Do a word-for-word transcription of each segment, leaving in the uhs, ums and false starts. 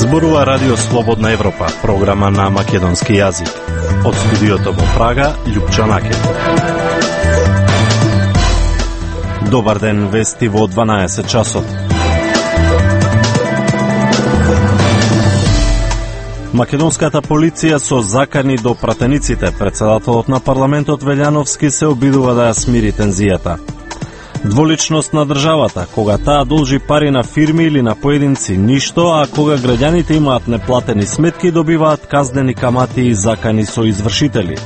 Зборува Радио Слободна Европа, програма на македонски јазик. Од студиото во Прага, Љупчо Накет. Добар ден, вести во дванаесет часот. Македонската полиција со закани до пратениците. Председателот на парламентот Велјановски се обидува да ја смири тензијата. Дволичност на државата, кога таа должи пари на фирми или на поединци ништо, а кога граѓаните имаат неплатени сметки, добиваат казнени камати и закани со извршители.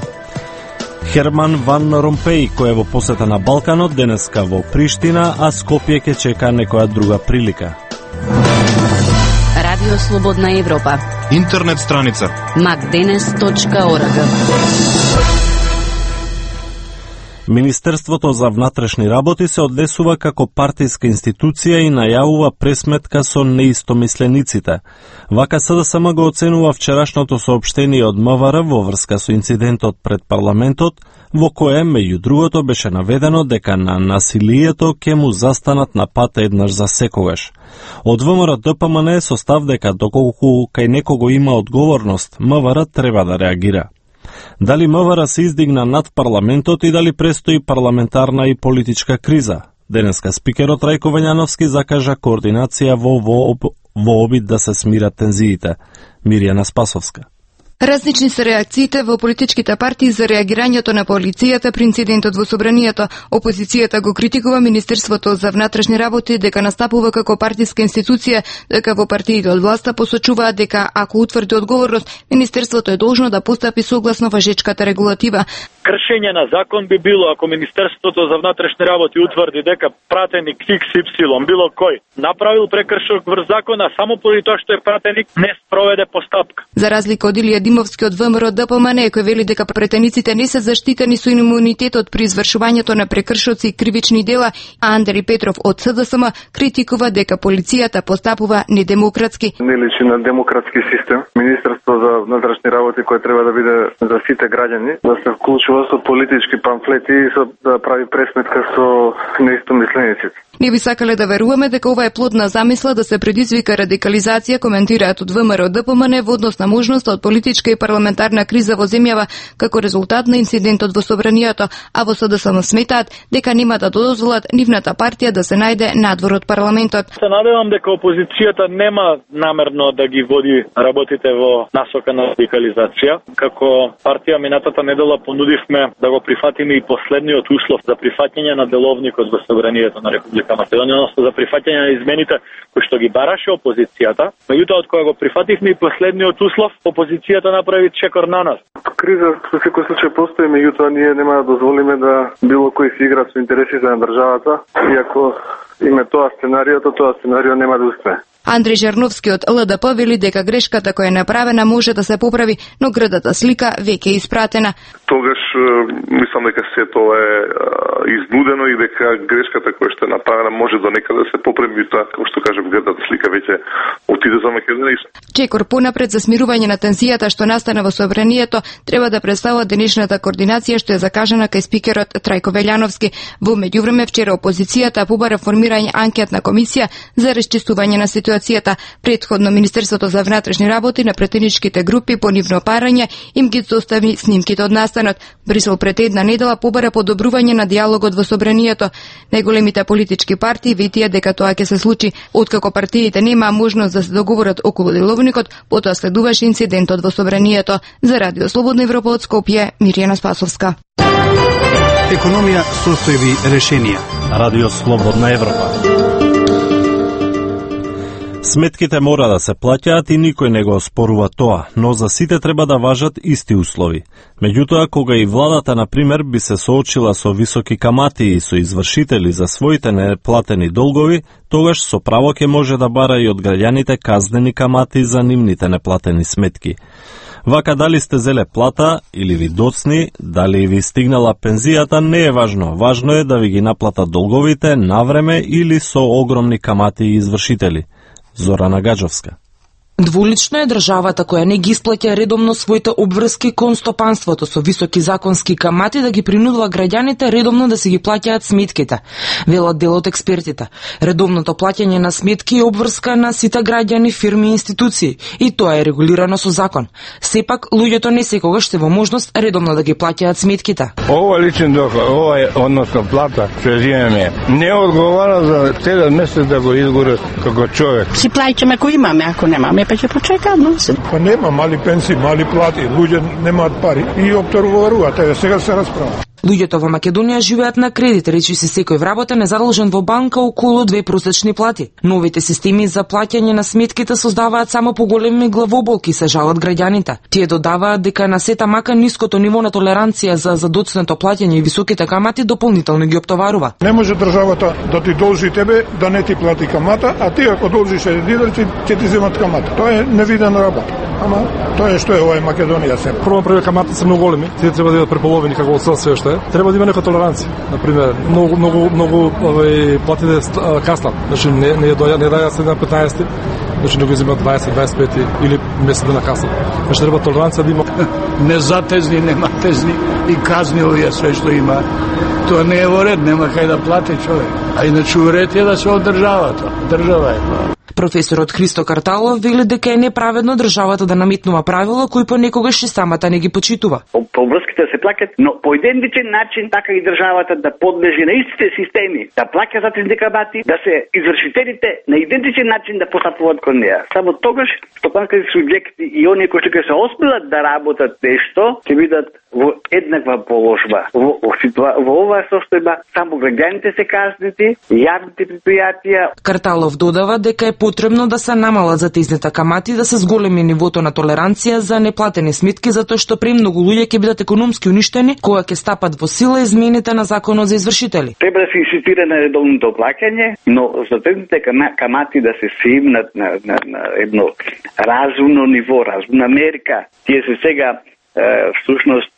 Херман Ван Ромпеј, кој е во посета на Балканот, денеска во Приштина, а Скопје ќе чека некоја друга прилика. Радио Слободна Европа. Интернет страница макденес точка орг. Министерството за внатрешни работи се однесува како партиска институција и најавува пресметка со неистомислениците. Вака СДСМ го оценува вчерашното соопштение од МВР во врска со инцидентот пред парламентот, во кое, меѓу другото, беше наведено дека на насилието ќе му застанат на пат еднаш за секогаш. Од ВМРО Д П М Н е состав дека доколку кај некого има одговорност, МВР треба да реагира. Дали МВР се издигна над парламентот и дали престои парламентарна и политичка криза? Денеска спикерот Рајко Велјановски закажа координација во, во, во обид да се смират тензиите. Мирјана Спасовска. Различни се реакциите во политичките партии за реагирањето на полицијата при инцидентот во собранието. Опозицијата го критикува Министерството за внатрешни работи дека настапува како партиска институција, дека во партиите од власта посочуваат дека ако утврди одговорност, Министерството е должно да постапи согласно важечката регулатива. Кршење на закон би било ако Министерството за внатрешни работи утврди дека пратеник икс ипсилон, било кој, направил прекршок врз закона само поради тоа што е пратеник, не спроведе постапка. За разлика од Илија Димовски од ВМРО Д П М Н, кој вели дека пратениците не се заштитени со имунитетот при извршувањето на прекршоци и кривични дела, а Андри Петров од СДСМ критикува дека полицијата постапува недемократски. Не личи на демократски систем. Министерство за внатрешни работи кој треба да биде за сите граѓани, да се вклучува со политички памфлети и со, да прави пресметка со неистомислениците. Не би сакале да веруваме дека ова е плод на замисла да се предизвика радикализација, коментираат од ВМРО Д П М Н во однос на можноста од политичка и парламентарна криза во земјава како резултат на инцидентот во собранието, а во СДСМ сметаат дека нема да дозволат нивната партија да се најде надвор од парламентот. Се надевам дека опозицијата нема намерно да ги води работите во насока на радикализација. Како партија минатата недела понудивме да го прифатиме и последниот услов за прифаќање на деловникот во собранието на Република Македонија, односно за прифаќање на измените кои што ги бараше опозицијата. Меѓутоа, од кога го прифативме и последниот услов, опозицијата направи чекор на нас. Криза во секој случај постои, меѓутоа ние нема да дозволиме да било кој се игра со интересите на државата, и ако име тоа сценариото, тоа сценарио нема да успее. Андреј Жарновски од Л Д П вели дека грешката која е направена може да се поправи, но грдата слика веќе е испратена. Тогаш мислам дека се тоа е изнудено и дека грешката која што е направена може до некаде да се поправи, тоа како што кажам грдата слика веќе отиде за Македонија. Чекор понапред за смирување на тензијата што настана во собранието треба да представува денешната координација што е закажана кај спикерот Трајко Велјановски. Во меѓувреме вчера опозицијата побара формирање анкетна комисија за расчистување на ситуацијата. Предходно Министерството за внатрешни работи на претеничките групи по нивно парање им ги достави снимките од настанот. Брисел пред една недела побара подобрување на диалогот во собранието. Најголемите политички партии ветија дека тоа ќе се случи. Откако партиите нема можност да се договорат околу деловникот, потоа следуваше инцидентот во собранието. За Радио Слободна Европа од Скопје, Мирјана Спасовска. Економија, состојби, решенија. Радио Слободна Европа. Сметките мора да се плаќаат и никој не го оспорува тоа, но за сите треба да важат исти услови. Меѓутоа, кога и владата, например, би се соочила со високи камати и со извршители за своите неплатени долгови, тогаш со право ќе може да бара и од граѓаните казнени камати за нивните неплатени сметки. Вака дали сте зеле плата или ви доцни, дали ви стигнала пензијата, не е важно. Важно е да ви ги наплатат долговите навреме или со огромни камати и извршители. Зорана Гаджовска. Двулично е државата која не ги исплаќа редовно своите обврски кон стопанството со високи законски камати да ги принудува граѓаните редовно да се ги плаќаат сметките. Велат дел од експертите. Редовното плаќање на сметки е обврска на сите граѓани, фирми и институции и тоа е регулирано со закон. Сепак луѓето не секогаш се во можност редовно да ги плаќаат сметките. Ова личен доход, ова е односно плата што земеме, не одговара за целиот месец да го изгорат како човек. Си плаќаме ако имаме, ако немаме па ќе почекаме. Па нема мали пенсии, мали плати, луѓе немаат пари и опторуваат, еве сега се расправа. Луѓето во Македонија живеат на кредит, речи се секој вработен е задолжен во банка околу две просечни плати. Новите системи за плаќање на сметките создаваат само поголеми главоболки, се жалат граѓаните. Тие додаваат дека на сета мака ниското ниво на толеранција за задоцнето плаќање и високите камати дополнително ги оптоварува. Не може државата да ти должи тебе да не ти плати камата, а ти ако должиш еден дидар ќе ти земат камата. Тоа е невидена работа. Ама тоа е што е ова е Македонија се. Прво први камати се многу големи, тие треба да бидат преполовени како од све што е. Треба да има нека толеранција. На пример, многу многу многу овој платите каснат. Значи не не доја не даја се на петнаесет, значи не го земат дваесет дваесет и пет или месец на каса. Значи треба толеранција да има. Не затезни, нема тезни и казни овие све што има. Тоа не е во ред, нема кај да плати човек. А иначе уред е да се од државата. Држава е. Професорот Христо Карталов вели дека е неправедно државата да наметнува правила кои понекогаш и самата не ги почитува. Поврските се плакат, но по идентичен начин така и државата да подлежи на истите системи, да плаќа за тези камати, да се извршителите на идентичен начин да постапуваат кон неа. Само тогаш стопанските субјекти и оние кои што ќе се оспилат да работат нешто, ќе бидат во еднаква положба. Во, во, во оваа состојба само граѓаните се казнети, јавните предпријатија. Карталов додава дека е потребно да се намалат затезните камати, да се зголеми нивото на толеранција за неплатени сметки, затоа што премногу луѓе ќе бидат економски уништени кога ќе стапат во сила измените на законот за извршители. Треба да се инсистира на редовното плаќање, но затезните камати да се свимнат на, на, на едно разумно ниво, разумна мерка. Тие се сега всушност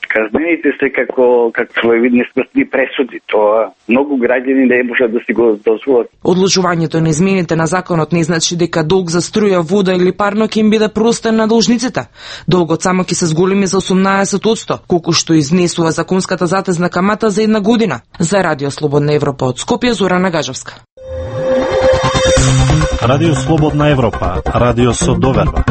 казнените се како како своевидни смртни пресуди. Тоа многу граѓани не можат да си го дозволат. Одложувањето на измените на законот не значи дека долг за струја, вода или парно ќе им биде простен на должниците. Долгот само ќе се зголеми за осумнаесет одсто, колку што изнесува законската затезна камата за една година. За Радио Слободна Европа од Скопје, Зорана Гажевска. Радио Слободна Европа, радио со доверба.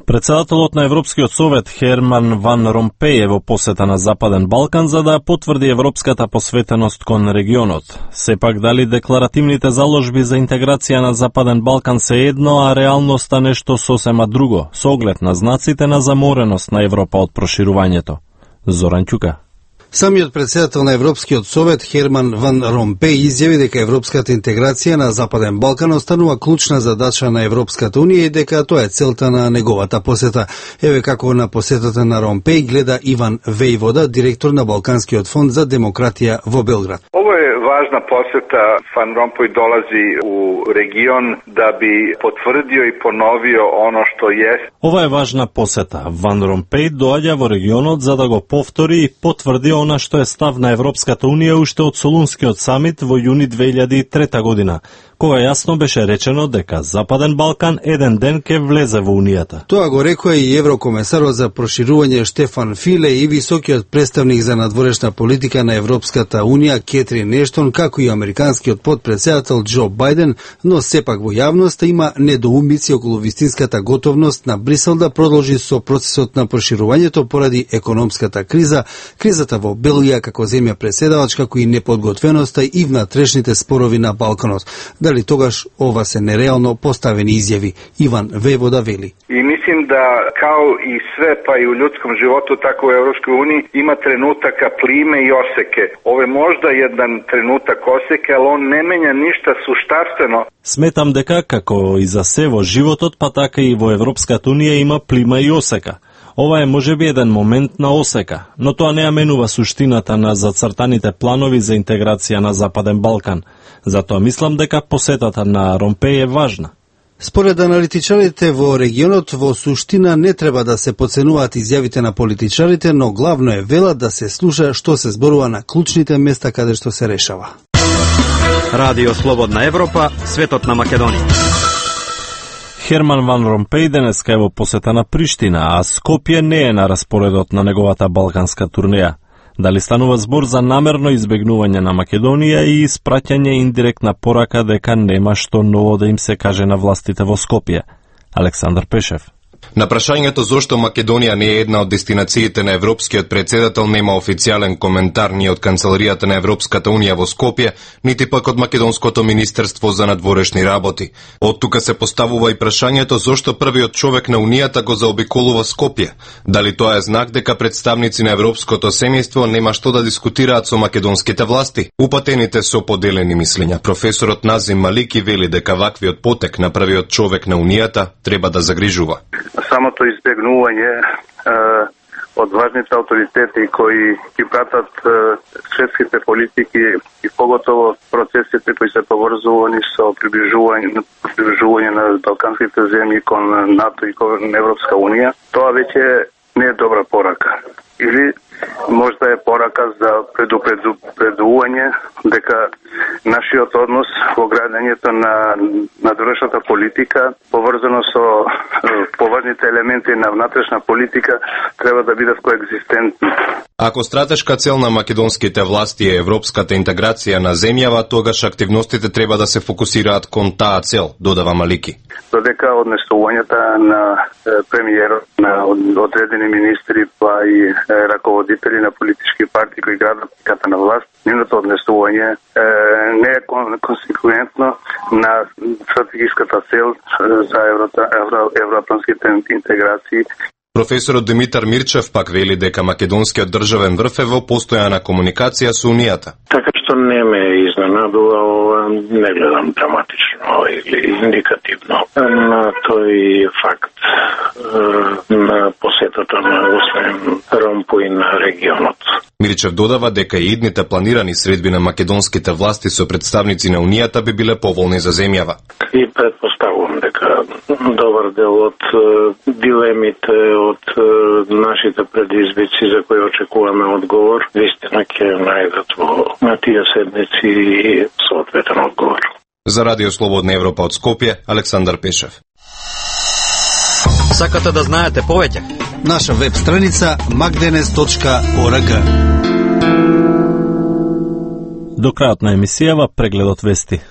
Председателот на Европскиот совет Херман Ван Ромпеј е во посета на Западен Балкан за да потврди европската посветеност кон регионот. Сепак дали декларативните заложби за интеграција на Западен Балкан се едно, а реалноста нешто сосема друго, со оглед на знаците на замореност на Европа од проширувањето. Зоран Ќука. Самиот председател на Европскиот совет Херман Ван Ромпеј изјави дека европската интеграција на Западен Балкан останува клучна задача на Европската унија и дека тоа е целта на неговата посета. Еве како на посетата на Ромпеј гледа Иван Вејвода, директор на Балканскиот фонд за демократија во Белград. Ова е важна посета. Ван Ромпеј долази у регион да би потврдио и поновио оно што е. Ова е важна посета. Ван Ромпеј доаѓа во регионот за да го повтори и потврди она што е став на Европската унија уште од Солунскиот самит во јуни две илјади и трета година, кога јасно беше речено дека Западен Балкан еден ден ќе влезе во Унијата. Тоа го рекоа и еврокомесарот за проширување Штефан Филе и високиот представник за надворешна политика на Европската унија Кетрин Ештон, како и американскиот потпредседател Џо Бајден, но сепак во јавноста има недоумици околу вистинската готовност на Брисел да продолжи со процесот на проширувањето поради економската криза, кризата во Белгија како земја преседавач, како и неподготвеноста и внатрешните спорови на Балканот. Дали тогаш ова се нереално поставени изјави? Иван Вејвода вели. И мислим да као и све, па и у људском животу, така у Европској унија има тренутака плиме и осеке. Ове можда еден тренутак осеке, али он не менја ништа суштарствено. Сметам дека како и за се во животот, па така и во Европската унија има плима и осека. Ова е можеби еден момент на осека, но тоа не ја менува суштината на зацртаните планови за интеграција на Западен Балкан. Затоа мислам дека посетата на Ромпеј е важна. Според аналитичарите во регионот, во суштина не треба да се подценуваат изјавите на политичарите, но главно е велат да се слуша што се зборува на клучните места каде што се решава. Радио Слободна Европа, светот на Македонија. Херман Ван Ромпеј денеска е во посета на Приштина, а Скопје не е на распоредот на неговата балканска турнеја. Дали станува збор за намерно избегнување на Македонија и испраќање индиректна порака дека нема што ново да им се каже на властите во Скопје? Александар Пешев. На прашањето зошто Македонија не е една од дестинациите на европскиот председател нема официјален коментар ни од Канцеларијата на Европската унија во Скопје, нити пак од Македонското министерство за надворешни работи. Од тука се поставува и прашањето зошто првиот човек на унијата го заобиколува Скопје. Дали тоа е знак дека представници на европското семејство нема што да дискутираат со македонските власти? Упатените со поделени мислења. Професорот Назим Малики вели дека ваквиот потек на првиот човек на унијата треба да загрижува. Самото избегнување е, од важните авторитети кои ги пратат е, светските политики и поготово процесите кои се поврзувани со приближување, приближување на балканските земји кон НАТО и кон Европска унија, тоа веќе не е добра порака. Или можда е порака за предупредување дека нашиот однос во градењето на надворешната политика, поврзано со поважните елементи на внатрешна политика, треба да бидат коегзистентни. Ако стратешка цел на македонските власти е европската интеграција на земјава, тогаш активностите треба да се фокусираат кон таа цел, додава Малики. Додека однесувањата на премиерот, на одредени министри, па и раководители на политички партии кои градат ката на власт, нивното однесување не е консеквентно на стратегиската цел за евроатлантските интеграции. Професорот Димитар Мирчев пак вели дека македонскиот државен врв е во постојана комуникација со Унијата. Така што не ме изненадува, ова не гледам драматично или индикативно на тој факт на посетата на господин Ромпој на регионот. Мирчев додава дека и идните планирани средби на македонските власти со представници на Унијата би биле поволни за земјава. И предпоставувам дека добар дел од дилемите, од нашите предизвици за кои очекуваме одговор, вистина ќе најдат во на тие седмици и соодветен одговор. За Радио Слободна Европа од Скопје, Александар Пешев. Сакате да знаете повеќе? Наша веб страница макденес точка орг. До крајот на емисијава прегледот вести.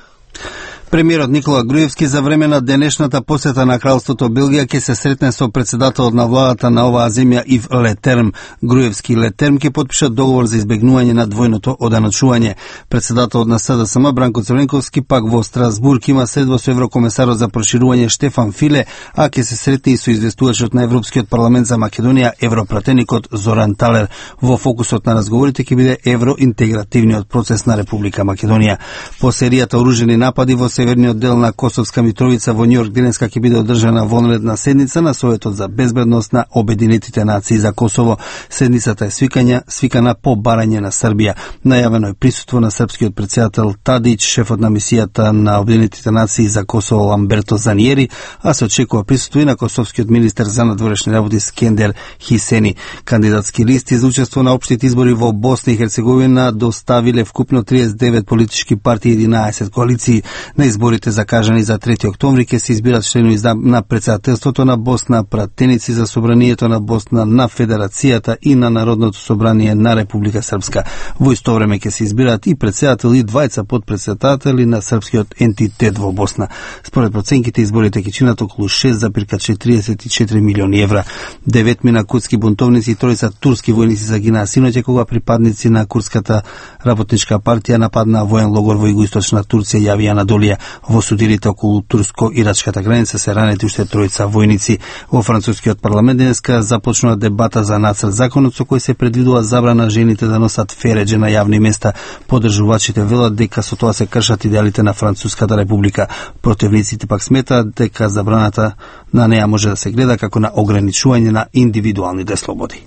Премиерот Никола Груевски за време на денешната посета на Кралството Белгија ќе се сретне со председателот на владата на оваа земја Ив Летерм. Груевски и Летерм ќе подпишат договор за избегнување на двојното оданачување. Председателот на С Д С М Бранко Црвенковски пак во Страсбург има средба со еврокомесарот за проширување Штефан Филе, а ќе се сретне и со известувачот на Европскиот парламент за Македонија, европратеникот Зоран Талер. Во фокусот на разговорите ќе биде евроинтегративниот процес на Република Македонија. По серијата оружени напади во северниот дел на Косовска Митровица во Њујорк денеска ќе биде одржана вонредна седница на Советот за безбедност на Обединетите нации за Косово. Седницата е свикања, свикана по барање на Србија. Најавено е присуство на српскиот претседател Тадич, шефот на мисијата на Обединетите нации за Косово Ламберто Заниери, а се очекува присуство и на косовскиот министер за надворешни работи Скендер Хисени. Кандидатски листи за учество на општите избори во Босна и Херцеговина доставиле вкупно триесет и девет политички партии и единаесет коалиции. На изборите закажани за трети октомври ќе се избират членови на председателството на Босна, пратеници за собранието на Босна, на Федерацијата и на Народното собрание на Република Српска. Во исто време ќе се избираат и председател и двајца подпредседатели на српскиот ентитет во Босна. Според проценките изборите ќе чинат околу шест зарез четириесет и четири милиони евра. Девет мина курдски бунтовници и тројца турски војници загинаа синоќа кога припадници на курдската работничка партија нападнаа воен логор во југоисточна Турција, јави Анадолија. Во судирите околу турско-ирачката граница се ранети уште тројца војници. Во францускиот парламент денеска започнува дебата за нацрт законот со кој се предвидува забрана жените да носат фередже на јавни места. Подржувачите велат дека со тоа се кршат идеалите на Француската република. Противниците пак сметаат дека забраната на неа може да се гледа како на ограничување на индивидуалните слободи.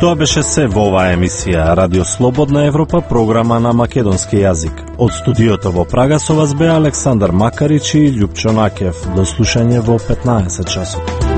Тоа беше се во оваа емисија Радио Слободна Европа, програма на македонски јазик. Од студиото во Прага со вас беа Александар Макарич и Љупчо Накев. До слушање во петнаесет часот.